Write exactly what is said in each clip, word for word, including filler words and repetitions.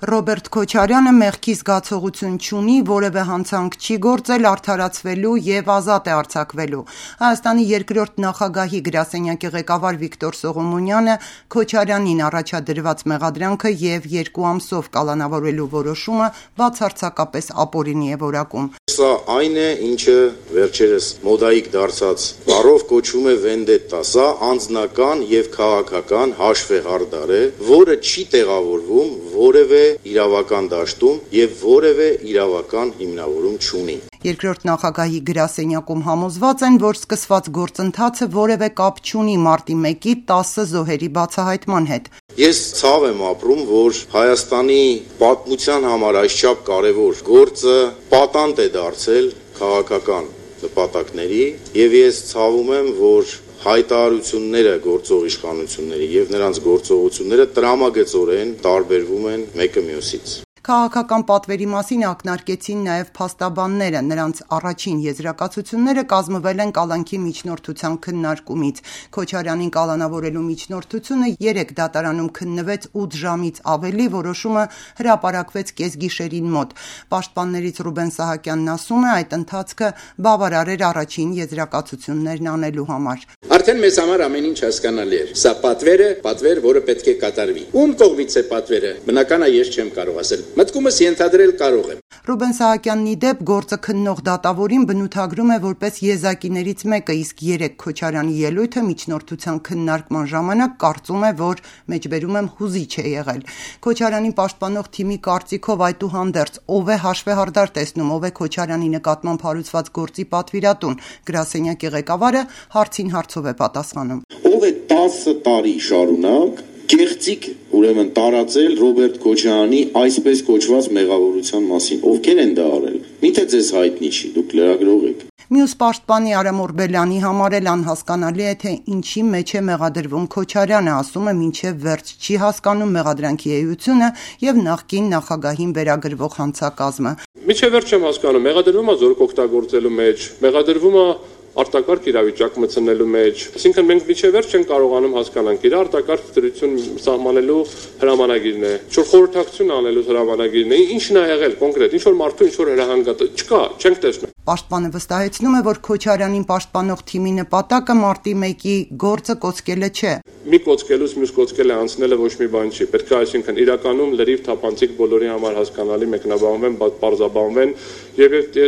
Ռոբերտ Քոչարյանը մեղքի զգացողություն չունի, որևէ հանցանք չի գործել, արդարացվելու և ազատ է արձակվելու։ Հայաստանի երկրորդ նախագահի գրասենյակի ղեկավար Վիկտոր Սողոմոնյանը Քոչարյանին առաջադրված մեղադրանքը և երկու ամսով կալանավորելու որոշումը բացարձակապես ապօրինի է որակում։ Սա այն է, ինչը վերջերս մոդայիկ դարձած բառով կոչվում է վենդետտա։ Սա անձնական և քաղաքական հաշվեհարդար է, որը չի տեղավորվում որևէ իրավական դաշտում և որևէ իրավական հիմնավորում չունի։ Երկրորդ նախագահի գրասենյակում համոզված են, որ սկսված գործընթացը որևէ կապ չունի մարտի մեկի տասը զոհերի բացահայտման հետ։ Ես ցավ եմ ապրում, որ Հայաստանի պատմության համար այսչափ կարևոր գործը պատանդ է դարձել քաղաքական նպատակների, և ես ցավում եմ, որ հայտարարությունները գործող իշխանությունների և նրանց գործողությունները տրամագծորեն տարբերվում են մեկը մյուսից։ Քաղաքական պատվերի մասին ակնարկեցին նաև փաստաբանները, նրանց առաջին եզրակացությունները կազմվել են կալանքի միջնորդության քննարկումից։ Քոչարյանին կալանավորելու միջնորդությունը երեկ դատարանում քննվեց ութ ժամից ավելի, որոշումը հրապարակվեց կեսգիշերին մոտ։ Պաշտպաններից Ռուբեն Սահակյանն ասում է, այդ ընթացքը բավարար էր առաջին եզրակացություններն անելու համար։ Արդեն մեզ համար ամեն ինչ հասկանալի էր։ Սա պատվեր է, պատվեր, որը պետք է կատարվի։ Ում կողմից է պատվերը, բնական է, ես չեմ կարող ասել։ Մտքումս ենթադրել կարող եմ։ Ռուբեն Սահակյանն ի դեպ գործը քննող դատավորին բնութագրում է որպես եզակիներից մեկը, իսկ երեկ Քոչարյանի ելույթը միջնորդության քննարկման ժամանակ կարծում է, որ մեջբերում եմ հուզիչ է եղել։ Քոչարյանին պաշտպանող թիմի կարծիքով այդուհանդերձ ով է հաշվեհարդար տեսնում, ով է Քոչարյանի նկատմամբ հարուցված գործի պատվիրատուն, գրասենյակի ղեկավարը հարցին հարցով է պատասխանում։ Ով է տասը տարի շարունակ կեղծիք ուրեմն տարածել Ռոբերտ Քոչարյանի այսպես կոչված մեղավորության մասին, ովքեր են դա արել։ Միթե ձեզ հայտնի չի, դուք լրագրող եք։ Մյուս պաշտպանի Արամ Օրբելյանի համար էլ անհասկանալի է, թե ինչի մեջ է մեղադրվում Քոչարյանը, ասում է մինչև վերջ չի հասկանում մեղադրանքի էությունը և նախկին նախագահին վերագրվող հանցակազմը։ Մինչև վերջ չեմ հասկանում, մեղադրվում է զորք օգտագործելու մեջ, մեղադրվում է արտակարգ իրավիճակ մտցնելու մեջ, այսինքն մենք մինչև վերջ չենք կարողանում հասկանանք իր արտակարգ դրություն սահմանելու հրամանագիրն է, ինչ-որ խորհրդակցություն անելու հրամանագիրն է, ինչն է եղել կոնկրետ, ինչ-որ մարդու ինչ-որ հրահանգատ չկա, չենք տեսնում։ Պաշտպանը վստահեցնում է, որ Քոչարյանին պաշտպանող թիմի նպատակը մարտի մեկի գործը կոծկելը չէ։ Մի կոծկելուց մյուս կոծկելը անցնելը ոչ մի բան չի, պետք է այսինքն իրականում լրիվ թափանցիկ բոլորի համար հասկանալի մեկնաբանվեն, բարձաբանվեն եւ այդ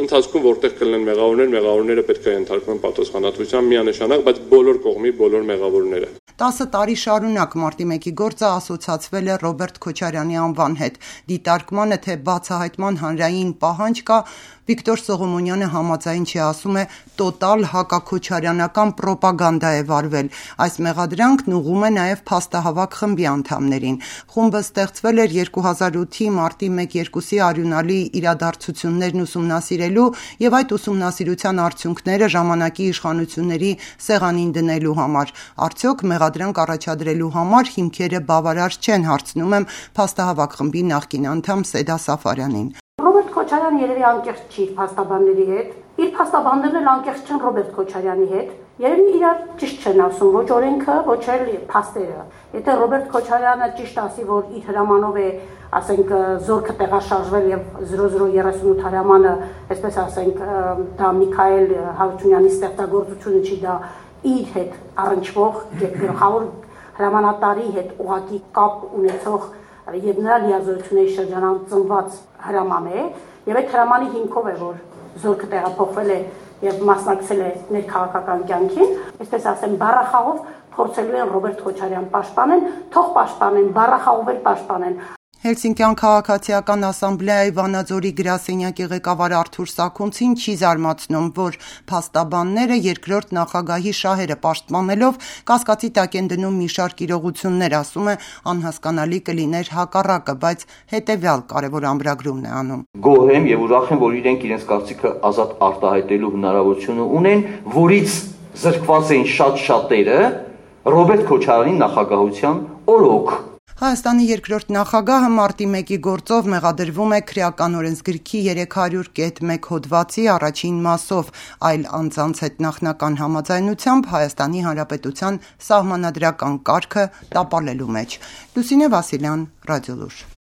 ընթացքում որտեղ կլինեն մեղավորներ, մեղավորները պետք է ենթարկվեն պատասխանատվության միանշանակ, բայց բոլոր կողմի բոլոր մեղավորները։ տասը տարի շարունակ մարտի մեկի գործը ասոցացվել է Ռոբերտ Քոչարյանի անվան հետ։ Դիտարկմանը թե բացահայտման հանրային պահանջ կա, Վիկտոր Սողոմոնյանը համաձայն չի, ասում է տոտալ հակաքոչարյանական պրոպագանդա է վարվել։ Այս մեղադրանքն ուղղում է նաև փաստահավաք խմբի անդամներին։ Խումբը ստեղծվել էր երկու հազար ութի մարտի մեկ-երկուսի արյունալի իրադարձություններն ուսումնասիրելու եւ այդ ուսումնասիրության արդյունքները ժամանակի իշխանությունների սեղանին դնելու համար։ Արդյոք մեղադրանք առաջադրելու համար հիմքերը բավարար չեն, հարցնում եմ փաստահավաք խմբի նախկին անդամ Սեդա Սաֆարյանին։ Ռոբերտ Քոչարյանը երևի անկեղծ չի փաստաբանների հետ, իր փաստաբաններն էլ անկեղծ չեն Ռոբերտ Քոչարյանի հետ, երևի իրար ճիշտ չեն ասում, ոչ օրենքը, ոչ էլ փաստերը։ Եթե Ռոբերտ Քոչարյանը ճիշտ ասի, որ իր հրամանով է, ասենք, զորքը տեղաշարժվել եւ զրո զրո երեսունութ հրամանը, այսպես ասենք, դա Միքայել Հարությունյանի ստեղծագործությունը չի, դա իր հետ առնչվող գլխավոր հրամանատարի հետ ուղղակի կապ ունեցող եւ նրա լիազորությունների շրջանում ծնված հրաման է, եւ այդ հրամանի հիմքով է, որ զորքը տեղափոխվել է եւ մասնակցել է ներքաղաքական կյանքին, այսպես ասեմ, բառախաղով փորձելու են Ռոբերտ Քոչարյան պաշտպանեն, թող պաշտպանեն, բառախաղով էլ պաշտպանեն։ Հելսինկյան քաղաքացիական ասամբլեայի Վանաձորի գրասենյակի ղեկավար Արթուր Սաքունցին չի զարմացնում, որ փաստաբանները երկրորդ նախագահի շահերը պաշտպանելով կասկածի տակ են դնում մի շարք իրողություններ, ասում է անհասկանալի կլիներ հակառակը, բայց հետևյալ կարևոր ամրագրումն է անում։ Գոհ եմ եւ ուրախ եմ, որ իրենք իրենց կարծիքը ազատ արտահայտելու հնարավորությունը ունեն, որից զրկված են շատ շատերը Ռոբերտ Քոչարյանի նախագահության օրոք։ Հայաստանի երկրորդ նախագահը մարտի մեկի գործով մեղադրվում է Քրեական օրենսգրքի երեք հարյուր կետ մեկ հոդվածի առաջին մասով, այլ անձանց հետ նախնական համաձայնությամբ Հայաստանի Հանրապետության սահմանադրական կարգը տապալելու մեջ։ Լուսինե Վասիլյան, Ռադիոլուր։